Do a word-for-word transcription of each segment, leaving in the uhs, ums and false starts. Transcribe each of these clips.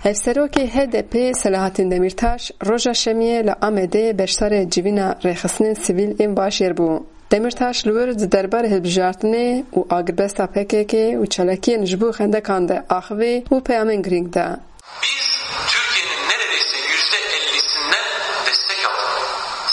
Hevserokê H D P Selahattin Demirtaş roja Şemiyê li Amedê beşdarê civîna rêxistinên sivîl ên bajêr bû. Demirtaş li wir di derbarê hilbijartinê û agirbesta P K K û çalakiyên ji bo xendekan de axivî û peyamên girîng da. Biz Türkiye'nin neredeyse yüzde ellisinden destek aldık.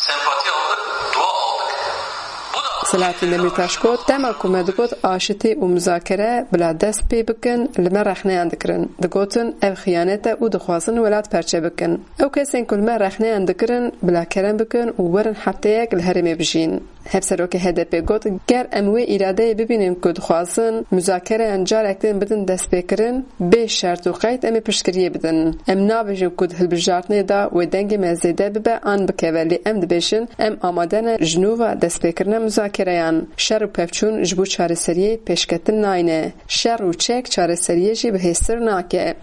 Sempati aldık, dua aldık. Selahattin Demirtaş got, dema ku me digot aşitî û muzakere bila dest pê bikin, li me rexneyan dikirin. Digotin, ev xiyanet e û dixwazin welat perçe bikin. Ew kesên ku li me rexneyan dikirin, bila kerem bikin û werin hefteyek li herêmê bijîn. Hevserokê H D P got, ger em wê îradeyê bibînin ku dixwazin muzakereyan carek din bidin destpêkirin, bê şert û qeyd em ê piştgiriyê bidin. Em nabêjin ku di hilbijartinê de wê dengê me zêde bibe an bikeve, lê em dibêjin, em amade ne ji nû ve destpêkirina muzakereyan. Şer û pevçûn ji bo çareseriyê pêşketin nayne. Şer û çek çareseriyê jî bihêztir nake.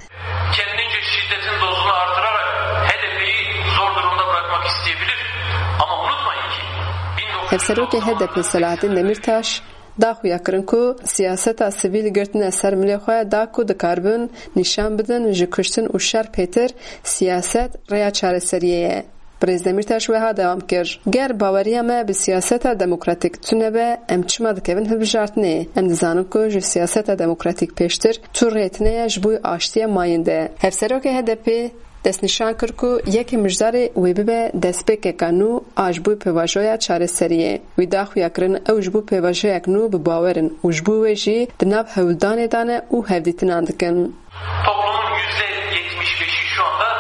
Kendince şiddetin dozunu artırarak H D P'yi zor durumda bırakmak isteyebilir. Ama unutmayın ki bin dokuz yüz Hevserokê H D P Selahattin Demirtaş da xuya kirin ku siyaseta sivîl girtine ser milê xwe da ku dikaribin nîşan bidin ji kuştin û şer pêtir siyaset rêya çareseriyê ye. Birêz Demîrtaş wiha dewam kir, ger baweriya me bi siyaseta demokratîk tune be, em çima dikevin hilbijartinê? Em dizanin ku ji siyaseta demokratîk pêştir tu rê tune ye ji bo aştiya mayîn de. Hevserokê H D P destnîşan kir ku yekê mijdarê wê bibe destpêkeka nû a ji bo pêvajoya çareseriyê. Wî da xuya kirin ew ji bo pêvajoyek nû bi bawer in û ji bo wê jî di nav hewldanê de ne û hevdîtinan dikin. Toplumun yüzde yetmiş beşi şu anda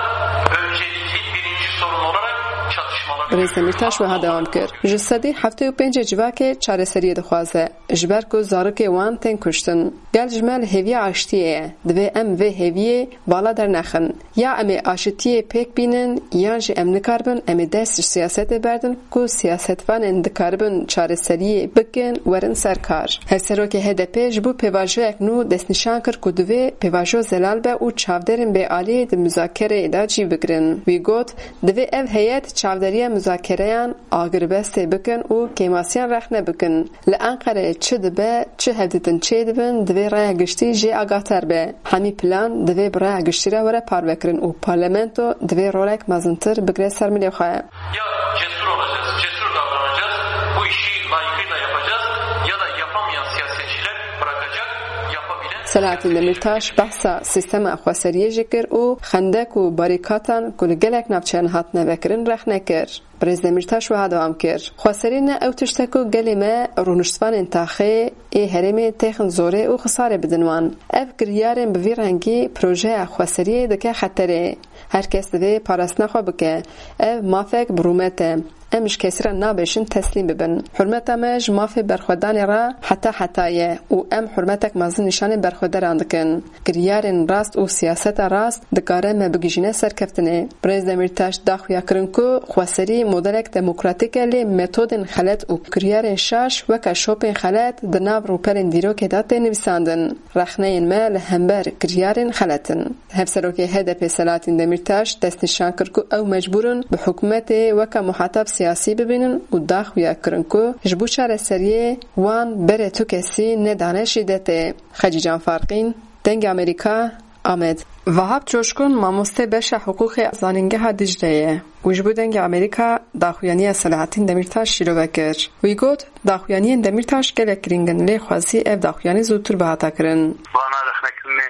öncelikli birinci sorun olarak çatışmaları Birêz Demîrtaş wiha dewam kir, ji sedî heftê û pêncê civakê çareseriyê dixwaze, ji ber ku zarokê wan tên kuştin. Gel ji me li hêviya aştiyê ye. Divê em vê hêviyê vala dernexin. Ya em ê aşitiyê pêk bînin, yan jî em nikaribin em ê dest ji siyasetê berdin ku siyasetvanên dikaribin çareseriyê bikin, werin ser kar. Hevserokê H D P ji bo pêvajoyek nû destnîşan kir ku divê pêvajo zelal be û çavdêrên bêalî di muzakereyê de cî bigirin. Wî got, divê ev heyet çavderiya muzakereyan agirbestê bikin û kêmasiyan rexne bikin. Li Enqereyê çi dibe, çi hevdîtin çêdibin, divê raya giştî jê agahdar be. Hemî plan divê bi raya giştî re were parvekirin û parlamento divê rolek mezintir bigre ser milê xwe. Ya cesur olacağız, cesur davranacağız, bu işi layıkıyla yapacağız ya da yapamayan siyasetçiler bırakacak, yapabilen Selahattin Demirtaş behsa sîstema xweseriyê jî kir û xendek û barîkatan ku li gelek navçeyan hatine vekirin rexne kir. Birêz Demîrtaş wiha dewam kir, xweserî ne ew tişt e ku gelê me rûniştvanên taxê ê herêmê têxin zorê û xisarê bidin wan. Ev kiryarên bi vî rengî projeya xweseriyê dike xeterê. Her kes divê parastina xwe bike. Ev mafek bi rûmet e. Em ji kesî re nabêjin teslîm bibin. Hurmeta me ji mafê berxwedanê re heta heta ye û em hurmetek mezin nîşanê berxwederan dikin. Kiryarên rast û siyaseta rast dikare me bigihîjîne serkeftinê. Birêz Demîrtaş da xuya kirin ku xweserî modelek demokratîk e, lê metodên xelet û kiryarên şaş weke şopên xelet di nav rûpelên dîrokê de tê nivîsandin. Rexneyên me li hember kiryarên xelet in. Hevserokê H D P Selahattin Demirtaş destnîşan kir ku ew mecbûr in bi hikûmetê weke muhatab siyasî bibînin û da xuya kirin ku ji bo çareseriyê wan berê tu kesî nedane şîdetê. Xecîcan Farqîn, Dengê Amerîka, Amed. Vahap Coşkun mamoste beşa hiqûqê zanîngeha Dicleyê ye û ji bo Dengê Amerîka daxuyaniya Selahattin Demirtaş şîrove kir. Wî got, daxuyaniyên Demirtaş gelek girîng in, lê xwezî ev daxuyanî zûtir bihata kirin. Vana rexnekirinê,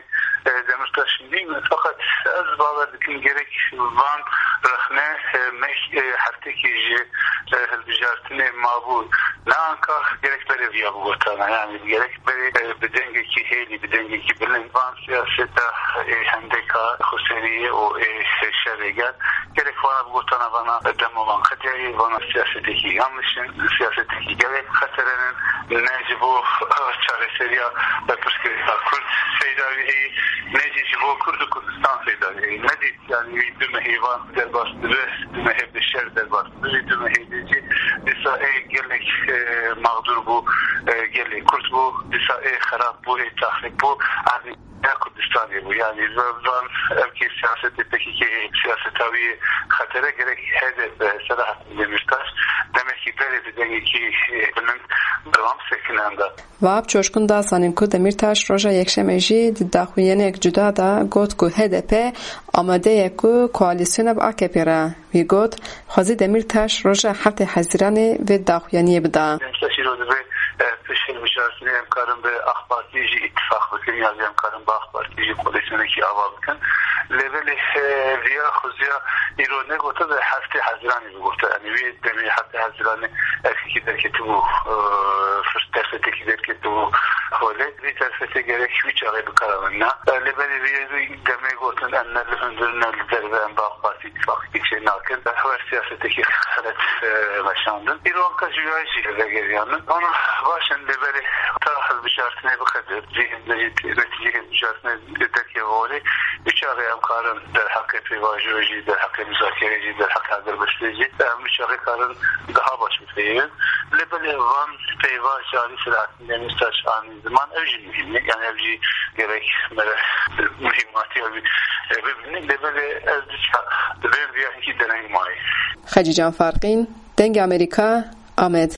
e, Demirtaş nîn, feqet ez bawer dikim gerek van rexne, e, meh, e, heftekê ji, e, hilbijartinê mabû. Ne anka gerek berê viya bigotana, yani gerek berê, e, bi dengekî hêlî, bi dengekî bilind van siyaseta, e, hendeka xweseriyê û, e, şerê gel. Gerek vana bigotana vana dema van qediyayê, vana siyasetekî yanlış in, siyasetekî gelek xeterên in, ne ji bo, e, çareseriya pirsgirêka Kurd feyda wî heye, ne jî ji bo Kurd û Kurdistan feyda wî heye. Ne dî Yani wî du mehê van derbas dibe, du mehê bi şer derbas dibe, wî du mehê de jî dîsa ê gelek, e, mağdur bû, e, gelê Kurd bû, dîsa ê xerab bû, ê taxrîb bû, erdê ya Kurdistanê bû. Yani van ev kes Siyaseta P K K siyaseta wî xetere gerek H D P Selahattin Demirtaş demekî berê bi dengekî bilind berdewam sekine enda. Vahap Coşkun da zanîn ku Demirtaş roja Yekşemê jî di daxuyaniyek cuda de got ku H D P amade ye ku koalîsyona bi A K P re. Wî got, xwezî Demirtaş roja heftê Hezîranê vê daxuyaniyê bida. Demirtaş îro divê, e, pişt hilbijartinê em karin bi AK Partî jî îtifaq bikin ya jî em karin bi AK Partî jî koalîsyonekî ava bikin. Lê belê, e, viya xuziya îro negote de heftê Hezîranê bigote. Yanî wê demê heftê Hezîranê erkekî derketibû, e, firs-, derfetekî derketibû holê. Vî derfetê gerek wî çaxê bikara min na. E, lê belê vî demê gotin em ne li hundir ne li derve em bi AK Partî îtifaqekî çê nakin. Hewer siyasetekî xelet, e, veşandin. Îro anka jî wî jî vegeriyanin. Ana baş in lê belê ta hilbijartinê bixe de, cî, netîcê hilbijartinê derkeve holê. Wî çaxê em karin derheqê pêvajoyê jî, derheqê muzakerê jî, derheqê agirbestê jî, em wî çaxê karin daha baş bipeyivin. Lê belê van peyva ji alî Selahattin Demirtaş anî ziman, ew jî muhîm e. Yanî ev jî gerek mere muhîmatiya wî, e, bibînin. Lê belê ez dîsa di vê viya hingî dereng mayî. Xecîcan Farqîn, Dengê Amerîka, Amed.